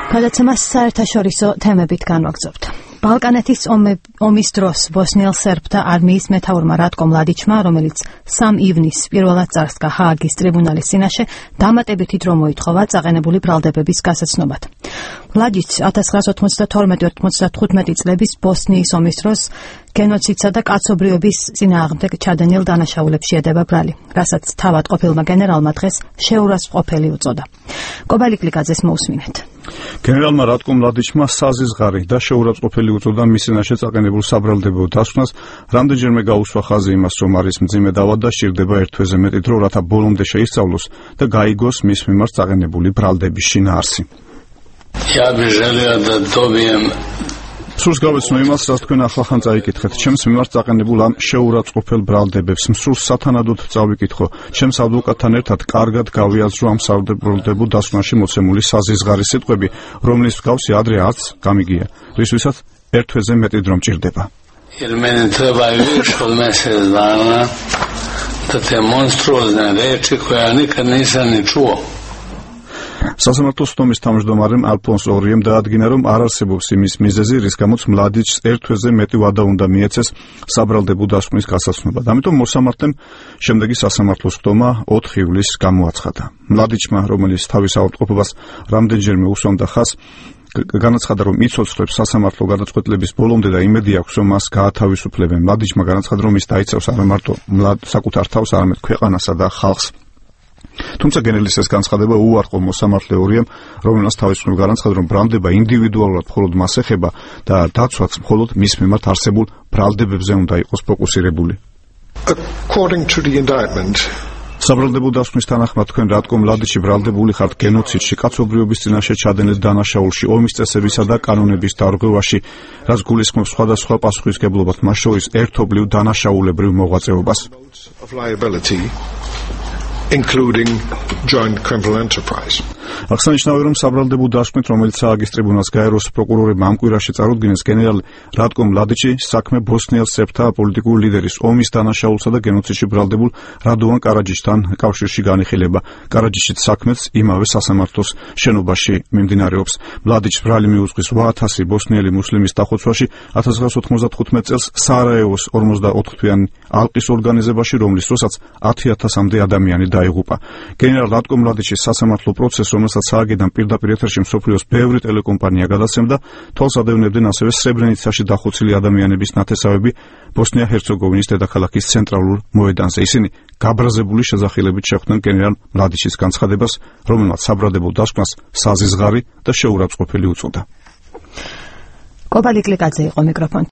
გადაცემას საერთაშორისო თემებით განვაგრძობთ. ბალკანეთის ომის დროს ბოსნიელ სერბთა არმიის მეთაურმა რატკო მლადიჩმა, რომელიც 3 ივნისს პირველად წარსდგა ჰააგის ტრიბუნალის წინაშე, დამატებითი დრო მოითხოვა წაყენებული ბრალდებების გასაცნობად. მლადიჩს 1992-95 წლების ბოსნიის ომის დროს გენოციდსა და კაცობრიობის წინააღმდეგ ჩადენილ დანაშაულებში ედება ბრალი, რასაც თავად ყოფილმა გენერალმა დღეს შეურაცხყოფელი უწოდა. კობალიკ ლიკაძეს მოусმინეთ. გენერალმა რატკო მლადიჩმა საზიზღარი და შეურაცხყოფელი უწოდა მის წინაშე წაყენებულ საბრალდებო დასკვნას, რამდენჯერმე გაუსვა ხაზი იმას, რომ არის მძიმე დავა და სჭირდება ერთ თვეზე მეტი დრო, რათა ბოლომდე შეისწავლოს და გაიგოს მის მიმართ წაყენებული ბრალდების შინაარსი. სურს გავეცნო იმას, რაც თქვენ ახლახან წაიკითხეთ. ჩემს მიმართ წაყენებულ ამ შეურაცხყოფელ ბრალდებებს მსურს სათანადოდ წავიკითხო. ჩემს ადვოკატთან ერთად კარგად გავიაზრო ამ საბრალდებო დასკვნაში მოცემული საზიზღარი სიტყვები, რომლის მსგავსი ადრე არც გამიგია, რისთვისაც ერთ თვეზე მეტი დრო მჭირდება. სასამართლოს თომის თავმჯდომარემ ალფონს ორიემ დაადგინა, რომ არ არსებობს იმის მიზეზი, რის გამოც მლადიჩს ერთ თვეზე მეტი ვადა უნდა მიეცეს საბრალდებო დასკვნის გასაცნობად. ამიტომ მოსამართლემ შემდეგი სასამართლოს ხდომა 4 ივლისს გამოაცხადა. მლადიჩმა, რომელიც თავის ავადმყოფობას რამდენჯერმე უსვამდა ხაზს, განაცხადა, რომ იცოცხლებს სასამართლო გადაწყვეტილების ბოლომდე და იმედი აქვს, რომ მას გაათავისუფლებენ. მლადიჩმა განაცხადა, რომ ის დაიცავს არა მარტო საკუთარ თავს, არამედ ქვეყანასა და ხალხს. თუმცა გენერლის ეს განცხადება უარყო მოსამართლე ორიემ, რომელსაც თავის მხრივ განაცხადა, რომ ბრალდება ინდივიდუალურად მხოლოდ მას ეხება და დაცვაც მხოლოდ მის მიმართ არსებულ ბრალდებებზე უნდა იყოს ფოკუსირებული. საბრალდებო დასკვნის თანახმად, თქვენ რატკო მლადიჩი ბრალდებული ხართ გენოციდში, კაცობრიობის წინაშე ჩადენილ დანაშაულში, ომის წესებისა და კანონების დარღვევაში, რაც გულისხმობს სხვადასხვა პასუხისმგებლობად, მათ შორის ერთობლივ დანაშაულებრივ მოღვაწეობას. Including joint criminal enterprise. აღსანიშნავია, რომ საბრალდებო დასკვნით, რომელიც ჰააგის ტრიბუნალს გაეროს პროკურორებმა ამ კვირაში წარუდგინეს, გენერალ რატკო მლადიჩი საქმე ბოსნიელ სერბთა პოლიტიკურ ლიდერის ომის დანაშაულსა და გენოციდში ბრალდებულ რადოვან კარაჯიშთან კავშირში განიხილება. კარაჯიშიც საქმეც იმავე სასამართლოს შენობაში მიმდინარეობს. მლადიჩს ბრალი მიუძღვის 8000 ბოსნიელი მუსლიმის დახოცვაში 1995 წელს სარაევოს 44 თვიანი ალყის ორგანიზებაში, რომლის დროსაც 10000-მდე ადამიანი დაიღუპა. გენერალ რატკო მლადიჩის სასამართლო პროცესს, რომელსაც ჰააგიდან პირდაპირ ეთერში მსოფლიოს ბევრი ტელეკომპანია გადაცემდა, თვალს ადევნებდნენ ასევე სრებრენიცაში დახოცილი ადამიანების ნათესავები ბოსნია-ჰერცეგოვინის დედაქალაქის ცენტრალურ მოედანზე. ისინი გაბრაზებული შეძახილებით შეხვდნენ გენერალ მლადიჩის განცხადებას, რომელმაც საბრალდებო დასკვნას საზიზღარი და შეურაცხყოფელი უწოდა. კობალიკ ლიკაძე იყო მიკროფონში.